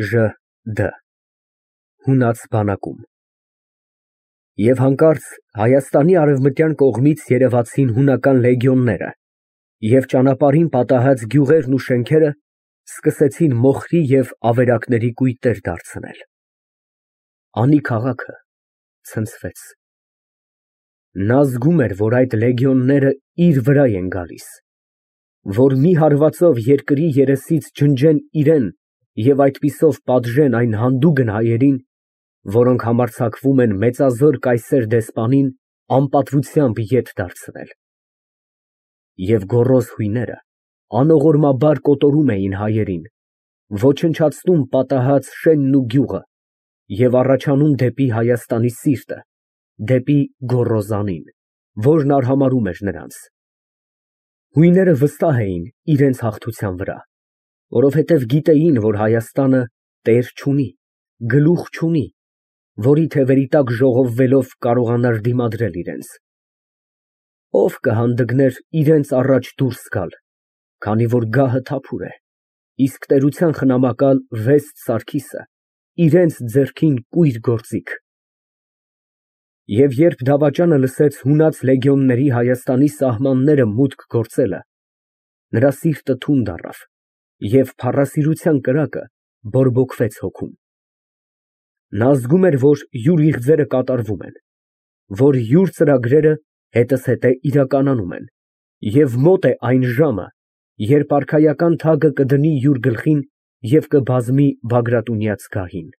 ԺԴ Հունած բանակում։ Եվ հանկարծ Հայաստանի արևմտյան կողմից երևացին հունական լեգիոնները և ճանապարհին պատահած գյուղերն ու շենքերը սկսեցին մոխրի և ավերակների կույտեր դարձնել։ Անի քաղաքը ցնցվեց։ Նա զգում էր, որ այդ լեգիոնները իր վրա են գալիս, որ մի հարվածով երկրի երեսից ջնջեն իրան և այդպիսով պատժեն այն հանդուգն հայերին, որոնք համարձակվում են մեծազոր կայսեր դեսպանին անպատվությամբ ետ դարձնել։ Եվ գոռոզ հույները անողորմաբար կոտորում էին հայերին, ոչնչացնում պատահած շենն ու գյուղը և առաջանում դեպի Հայաստանի սիրտը, դեպի գոռոզանին, որն արհամարհում էր նրանց։ Հույները վստահ էին իրենց հաղթության վրա, որովհետև գիտեին, որ Հայաստանը տեր չունի, գլուխ չունի, որի թևերի տակ ժողովվելով կարողանար դիմադրել իրենց։ Ո՞վ կհանդգներ իրենց առաջ դուրս գալ, քանի որ գահը թափուր է, իսկ տերության խնամակալ Վեստ Սարգիսը իրենց ձեռքին կույր գործիք։ Եվ երբ դավաճանը լսեց հունած լեգիոնների Հայաստանի սահմանները մուտք գործելը, նրա սիրտը թունդ առավ և փառասիրության կրակը բորբոքվեց հոգում։ Նա զգում էր, որ յուր իղձերը կատարվում են, որ յուր ծրագրերը հետզհետե իրականանում են, և մոտ է այն ժամը, երբ արքայական թագը կդնի յուր գլխին և կբազմի Բագրատունյաց գահին։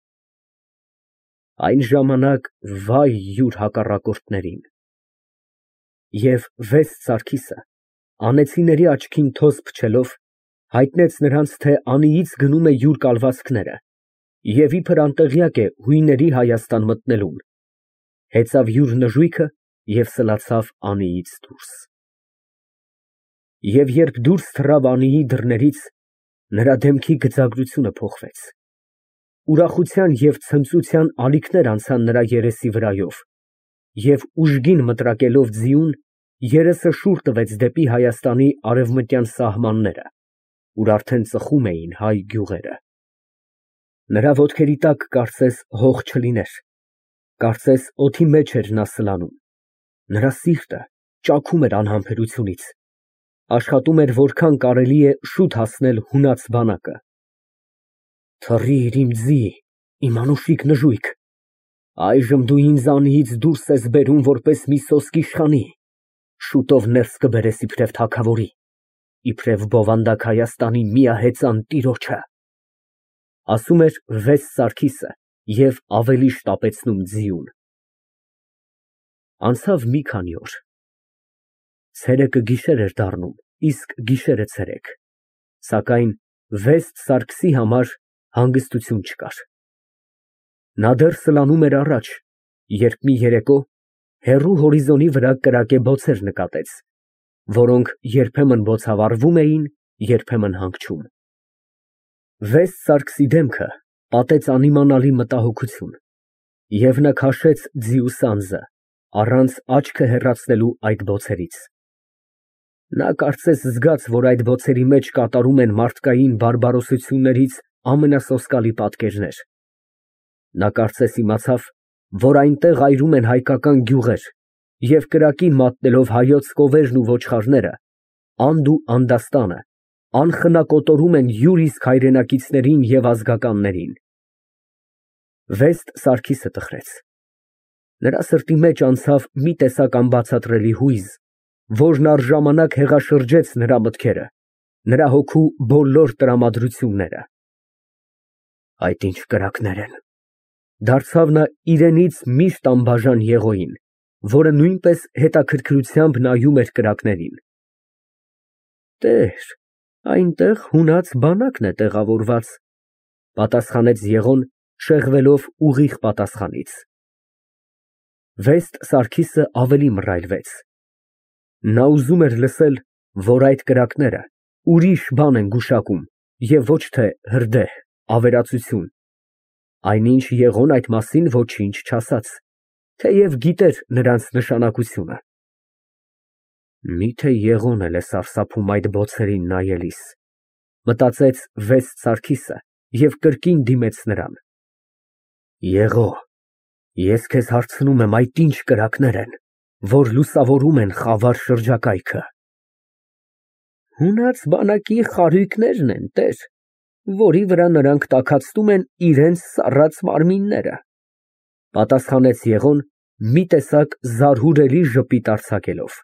Այն ժամանակ վայ յուր հակառակորդներին։ Եվ Վեստ Սարգիսը, անեծիների աչքին թոզ փչելով, հայտնեց նրանց, թե անիից գնում է յուր կալվածքները և իբր անտեղյակ է հույների Հայաստան մտնելուն, հեծավ յուր նժույգը և սլացավ անիից դուրս։ Եվ երբ դուրս թռավ անիի դռներից, նրա դեմքի գծագրությունը փոխվեց, ուրախության և ցնծության ալիքներ անցան նրա երեսի վրայով, և ուժգին մտրակելով ձիուն, երեսը շուռ տվեց դեպի Հայաստանի արևմտյան սահմանները, ուր արդեն ծխում էին հայ գյուղերը։ Նրա ոտքերի տակ կարծես հող չլիներ, կարծես օդի մեջ էր նա սլանում, նրա սիրտը ճաքում էր անհամբերությունից, աշխատում էր որքան կարելի է շուտ հասնել հունած բանակը։ Թռիր իմ ձի, իմ անուշիկ նժույգ, այժմ դու ինձ անիից դուրս ես բերում որպես մի սոսկ իշխանի, շուտով ներս կբերես իբրև թագավորի, իբրև բովանդակ Հայաստանի միահեծան տիրոջը, ասում էր Վեստ Սարգիսը և ավելի շտապեցնում ձիուն։ Անցավ մի քանի օր։ Ցերեկը գիշեր էր դառնում, իսկ գիշերը ցերեկ, սակայն Վեստ Սարգսի համար հանգստություն չկար։ Նա դեռ սլանում էր առաջ, երբ մի երեկո հեռու հորիզոնի վրա կրակե բոցեր նկատեց, որոնք երբեմն բոցավառվում էին, երբեմն հանգչում։ Վեստ Սարգսի դեմքը պատեց անիմանալի մտահոգություն, և նա քաշեց ձիու սանձը, առանց աչքը հեռացնելու այդ բոցերից։ Նա կարծես զգաց, որ այդ բոցերի մեջ կատարում են մարդկային բարբարոսություններից ամենասոսկալի պատկերներ։ Նա կարծես իմացավ, որ այնտեղ այրում են հայկական գյուղեր և կրակին մատնելով հայոց կովերն ու ոչխարները, անդ ու անդաստանը, անխնա կոտորում են յուր իսկ հայրենակիցներին և ազգականներին։ Վեստ Սարգիսը տխրեց։ Նրա սրտի մեջ անցավ մի տեսակ անբացատրելի հույզ, որն առժամանակ հեղաշրջեց նրա մտքերը, նրա հոգու բոլոր տրամադրությունները։ Այդ ինչ կրակներ են, դարձավ նա իրենից միշտ անբաժան եղոյին, որը նույնպես հետաքրքրությամբ նայում էր կրակներին։ Տեր, այնտեղ հունած բանակն է տեղավորված, պատասխանեց Եղոն, շեղվելով ուղիղ պատասխանից։ Վեստ Սարգիսը ավելի մռայլվեց։ Նա ուզում էր լսել, որ այդ կրակները ուրիշ բան են գուշակում և ոչ թե հրդեհ, ավերածություն, այնինչ Եղոն այդ մասին ոչինչ չասաց, թեև գիտեր նրանց նշանակությունը։ Միթե Եղոն էլ է սարսափում այդ բոցերին նայելիս, մտածեց Վեստ Սարգիսը և կրկին դիմեց նրան։ Եղո, ես քեզ հարցնում եմ, այդ ինչ կրակներ են, որ լուսավորում են խավար շրջակայքը։ Հունած բանակի խարույկներն են, տեր, որի վրա նրանք տաքացնում են իրենց սառած մարմինները, պատասխանեց Եղոն մի տեսակ զարհուրելի ժպիտ արձակելով։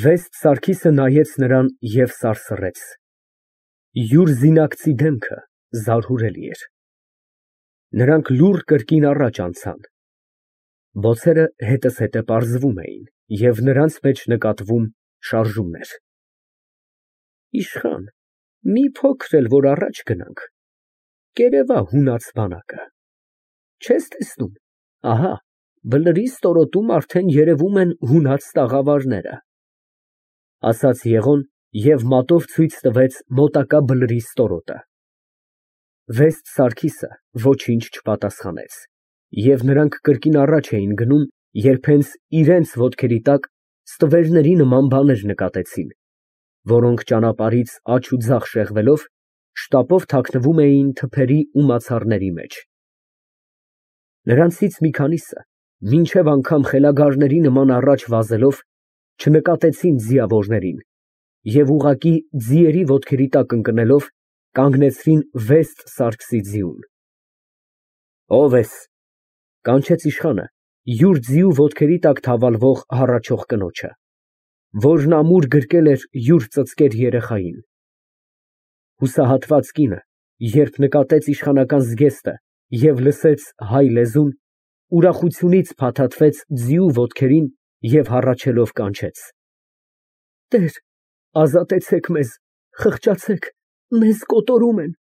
Վեստ Սարգիսը նայեց նրան և սարսռեց։ Յուր զինակցի դեմքը զարհուրելի էր։ Նրանք լուռ կրկին առաջ անցան։ Բոցերը հետզհետե պարզվում էին, և նրանց մեջ նկատվում շարժումներ։ Իշխան, մի փոքր էլ որ առաջ գնանք, կերևա հունած բանակը, չես տեսնում, ահա, բլրի ստորոտում արդեն երևում են հունած տաղավարները, ասաց Եղոն և մատով ցույց տվեց մոտակա բլրի ստորոտը։ Վեստ Սարգիսը ոչինչ չպատասխանեց, և նրանք կրկին առաջ էին գնում, երբ հենց իրենց ոտքերի տակ ստվերների նման բաներ նկատեցին, որոնք ճանապարհից աջ ու ձախ շեղվելով, շտապով թաքնվում էին թփերի ու մացառների մեջ։ Նրանցից մի քանիսը, մինչև անգամ խելագարների նման առաջ վազելով, չնկատեցին ձիավորներին և ուղղակի ձիերի ոտքերի տակ ընկնելով, կանգնեցրին Վեստ Սարգսի ձիուն։ Ո՞վ ես, կանչեց իշխանը յուր ձիու ոտքերի տակ թավալվող հառաչող կնոջը, որն ամուր գրկել էր յուր ծծկեր երեխային։ Հուսահատված կինը, երբ նկատեց իշխանական զգեստը և լսեց հայ լեզուն, ուրախությունից փաթաթվեց ձիու ոտքերին և հառաչելով կանչեց. Տեր, ազատեցեք մեզ, խղճացեք, մեզ կոտորում են։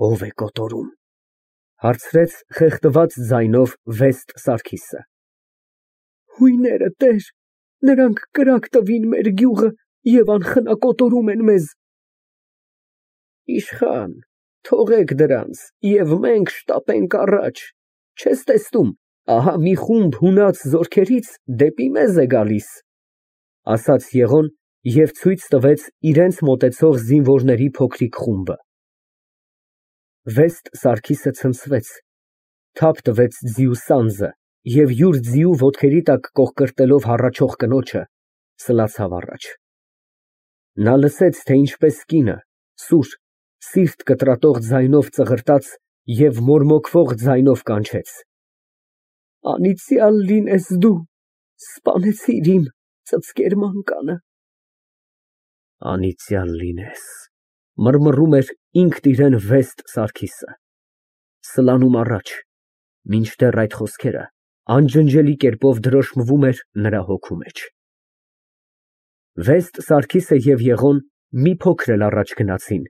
Ո՞վ է կոտորում, հարցրեց խեղդված ձայնով Վեստ Սարգիսը։ Հույները, տեր, նրանք կրակ տվին մեր գյուղը և անխնա կոտորում են մեզ։ Իշխան, թողեք դրանց և մենք շտապենք առաջ, չես տեսնում, ահա մի խումբ հունած զորքերից դեպի մեզ է գալիս, ասաց Եղոն և ցույց տվեց իրենց մոտեցող զինվորների փոքրիկ խումբը։ Վեստ Սարգիսը ցնցվեց, թափ տվեց ձիու սանձը և յուր ձիու ոտքերի տակ կոխկրտելով հառաչող կնոջը, սլացավ առաջ։ Նա լսեց, թե ինչպես կինը, սուր, սիրտ կտրատող ձայնով ծղրտաց և մորմոքվող ձայնով կանչեց. Անիծյալ լինես դու, սպանեցիր իմ ծծկեր մանկանը։ Անիծյալ լինես, մռմռում էր ինքն իրեն Վեստ Սարգիսը, սլանում առաջ, մինչդեռ այդ խոսքերը անջնջելի կերպով դրոշմվում էր նրա հոգու մեջ։ Վեստ Սարգիսը և Եղոն մի փոքր էլ առաջ գնացին,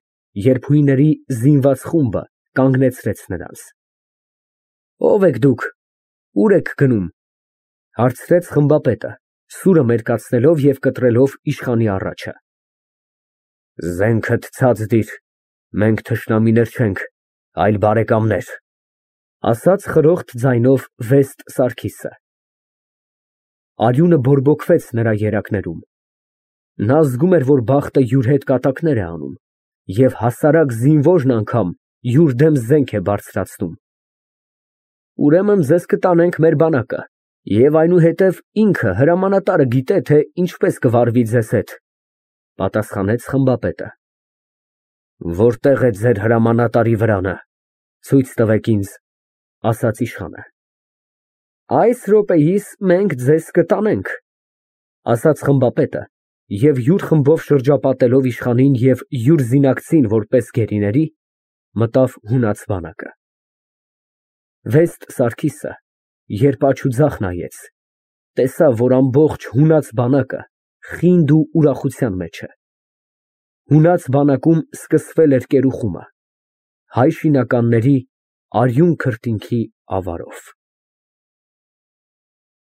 երբ հույների զինված խումբը կանգնեցրեց նրանց։ Ո՞վ եք դուք, ուր եք գնում, հարցրեց խմբապետը, սուրը մերկացնելով և կտրելով իշխանի առաջը։ Զենքդ ցած դիր, մենք թշնամիներ չենք, այլ բարեկամներ, ասաց խրոխտ ձայնով Վեստ Սարգիսը։ Արյունը բորբոքվեց նրա երակներում։ Նա զգում էր, որ բախտը յուր հետ կատակներ է անում, և հասարակ զինվորն անգամ յուր դեմ զենք է բարձրացնում։ Ուրեմն ձեզ կտանենք մեր բանակը, և այնուհետև ինքը հրամանատարը գիտե, թե ինչպես կվարվի ձեզ հետ, պատասխանեց խմբապետը։ Որտե՞ղ է ձեր հրամանատարի վրանը, ցույց տվեք ինձ, ասաց իշխանը։ Այս րոպեիս մենք ձեզ կտանենք, ասաց խմբապետը և յուր խմբով շրջապատելով իշխանին և յուր զինակցին որպես գերիների, մտավ հունած բանակը։ Վեստ Սարգիսը, երբ աջ ու ձախ նայեց, տեսավ, որ ամբողջ հունած բանակը խինդ ու ուրախության մեջ է։ Հունած բանակում սկսվել էր կերուխումը, հայ շինականների արյուն քրտինքի ավարով։